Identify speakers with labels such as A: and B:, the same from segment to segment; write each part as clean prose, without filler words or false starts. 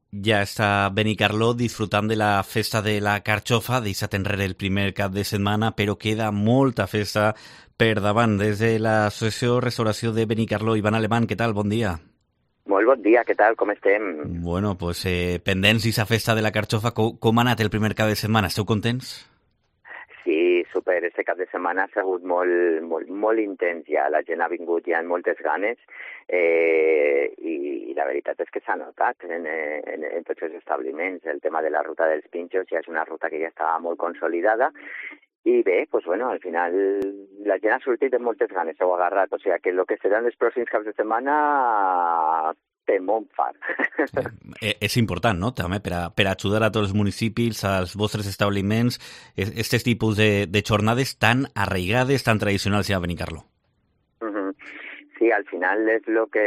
A: Ja està Benicarló disfrutant de la festa de la carxofa, deixat enrere el primer cap de setmana, però queda molta festa per davant. Des de l'Associació Restauració de Benicarló, Ivan Alemán, què tal? Bon dia.
B: Molt bon dia, què tal? Com estem?
A: Bueno, pues pendents d'aquesta festa de la carxofa, com ha anat el primer cap de setmana? Esteu contents?
B: Sí, super. Este cap de setmana ha sigut molt intens ja. La gent ha vingut ja amb moltes ganes i la veritat és que s'ha notat en tots els establiments. El tema de la ruta dels pinxos ja és una ruta que ja estava molt consolidada i bé, pues bueno, al final la gent ha sortit amb moltes ganes, s'ho ha agarrat. O sigui que el que seran els pròxims caps de setmana té molt fart.
A: És important, no?, també, per ajudar a tots els municipis, als vostres establiments, aquests tipus de jornades tan arraigades, tan tradicionals ja a Benicarló.
B: Sí, al final és el que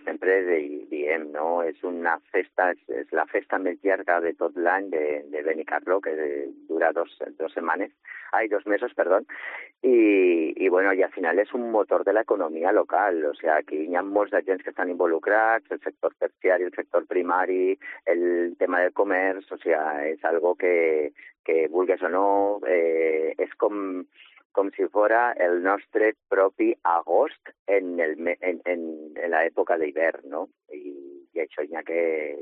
B: sempre diem, no? És una festa, és la festa més llarga de tot l'any de Benicarló, que dura dos mesos, perdó, i bueno, i al final és un motor de l'economia local, o sigui, aquí hi ha molts agents que estan involucrats, el sector terciari, el sector primari, el tema del comerç, o sigui, és algo que vulgues o no, és com si fora el nostre propi agost en l'època d'hivern, no? I això hi ha que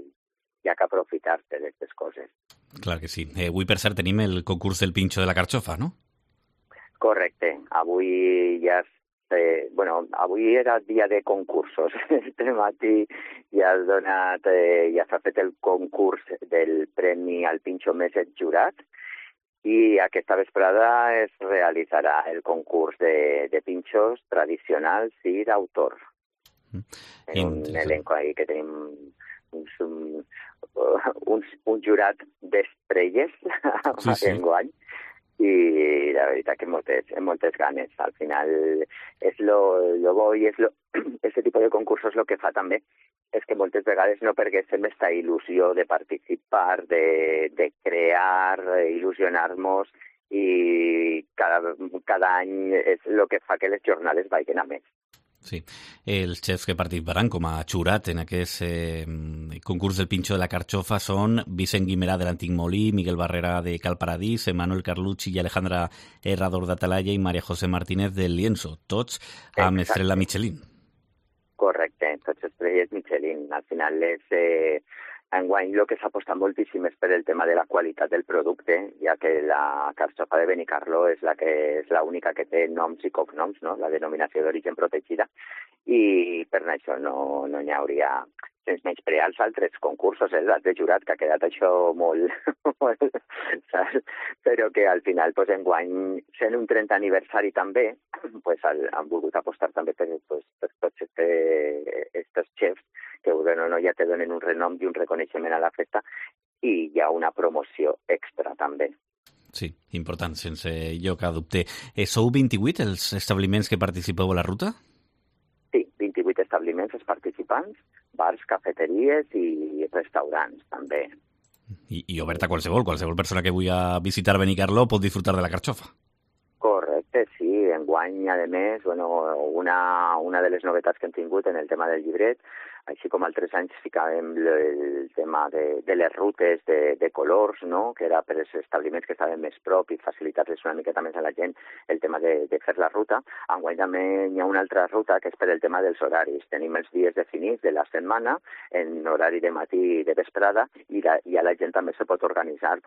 B: aprofitar-se d'aquestes coses.
A: Clar que sí. Avui, per cert, tenim el concurs del pinxo de la carxofa, no?
B: Correcte. Avui ja avui era dia de concursos. Este matí ja s'ha fet el concurs del Premi al Pinxo Més Jurat, i aquesta vesprada es realitzarà el concurs de pinxos tradicionals i d'autor. Un elenco ahí que tenim un jurat d'estrelles enguany, i la veritat que moltes ganes. Al final és lo bo i este tipus de concursos lo que fa també és que moltes vegades no perguéssim aquesta il·lusió de participar, de crear, il·lusionar-nos, i cada any és el que fa que les jornades vagin a més.
A: Sí, els xefs que participaran com a jurat en aquest concurs del pinxo de la carxofa són Vicent Guimerà de l'Antic Molí, Miguel Barrera de Cal Paradís, Manuel Carlucci i Alejandra Herrador d'Atalaya i María José Martínez del Lienzo, tots amb estrella Michelin.
B: Correcte, tots estrelles Michelin. Al final enguany el que s'ha apostat moltíssim és per el tema de la qualitat del producte, ja que la carxofa de Benicarló és l'única que té noms i cognoms, no? La denominació d'origen protegida, i per això no hi hauria, sense menysprear els altres concursos, l'altre jurat, que ha quedat això molt però que al final, enguany, sent un 30 aniversari també, han volgut apostar també per tots estos xefs que ja te donen un renom i un reconeixement a la festa, i hi ha una promoció extra també.
A: Sí, important, sense lloc a dubte. Sou 28 els establiments que participeu a la ruta?
B: Sí, 28 establiments els participants, bars, cafeteries i restaurants també.
A: I obert a qualsevol persona que vulgui visitar Benicarló pot disfrutar de la carxofa.
B: Correcte, sí. Enguany, a més, una de les novetats que hem tingut en el tema del llibret, així com altres anys ficàvem el tema de les rutes de colors, no?, que era per als establiments que estaven més prop i facilitar-les una miqueta més a la gent el tema de fer la ruta. Enguany també hi ha una altra ruta que és per el tema dels horaris. Tenim els dies definits de la setmana en horari de matí i de vesprada, i a la gent també se pot organitzar,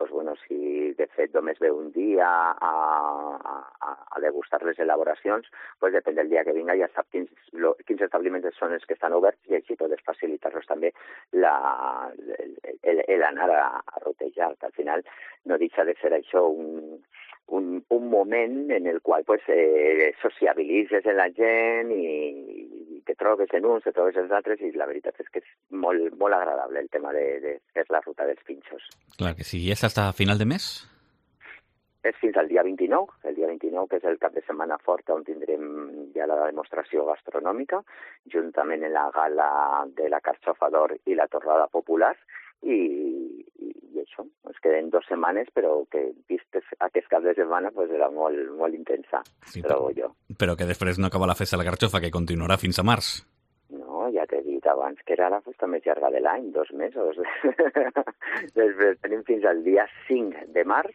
B: si de fet només ve un dia a degustar les elaboracions, depèn del dia que vinga, ja sap quins establiments són els que estan oberts, i així podes facilitar-los també l'anar a rotejar, que al final no deixa de ser això un moment en el qual sociabilitzes amb la gent i te trobes en uns, te trobes en els altres, i la veritat és que és molt, molt agradable el tema de fer la ruta dels pinxos.
A: Clar que sí. I és fins a final de mes?
B: És fins al dia 29, que és el cap de setmana fort, on tindrem ja la demostració gastronòmica, juntament amb la gala de la carxofa d'or i la torrada popular, i això, ens queden 2 setmanes, però que vistes aquest cap de setmana era molt, molt intensa, trobo jo.
A: Però que després no acaba la festa de la carxofa, que continuarà fins a març.
B: No, ja t'he dit, dit abans que era la festa més llarga de l'any, 2 mesos. Després tenim fins al dia 5 de març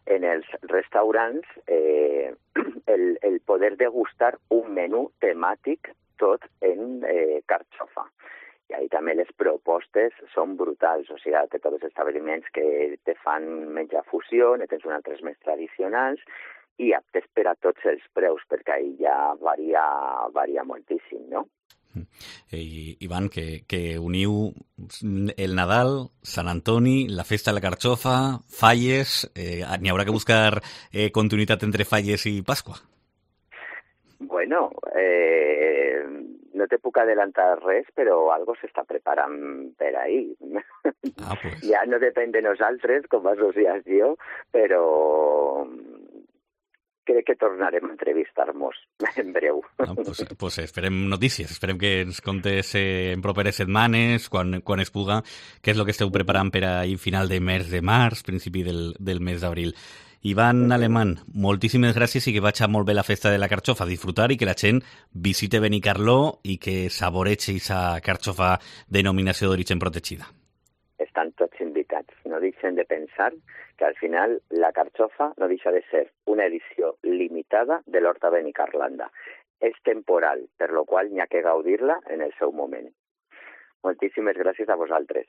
B: en els restaurants el poder degustar un menú temàtic tot en carxofa. I ahí també les propostes són brutals, o sigui, té tots els establiments que te fan menjar fusió, ne tens uns altres més tradicionals, i aptes per a tots els preus, perquè ahí ja varia moltíssim, no?
A: Ivan, que uniu el Nadal, Sant Antoni, la festa de la carxofa, Falles, n'hi haurà que buscar continuïtat entre Falles i Pasqua?
B: Bueno, no te puc adelantar res, però algo s'està preparant per ahí.
A: Pues.
B: Ja no depèn de nosaltres, com a associació, però crec que tornarem a entrevistar-nos en breu.
A: Pues esperem notícies, esperem que ens contes en properes setmanes, quan es puga, què és el que esteu preparant per a final de mes de març, principi del mes d'abril. Ivan Alemán, moltíssimes gràcies i que vagi molt bé la festa de la carxofa, disfrutar i que la gent visite Benicarló i que saboreig aquesta carxofa denominació d'origen protegida.
B: Estan tots invitats. No deixen de pensar que al final la carxofa no deixa de ser una edició limitada de l'Horta Benicarlanda. És temporal, per lo qual n'hi ha que gaudir-la en el seu moment. Moltíssimes gràcies a vosaltres.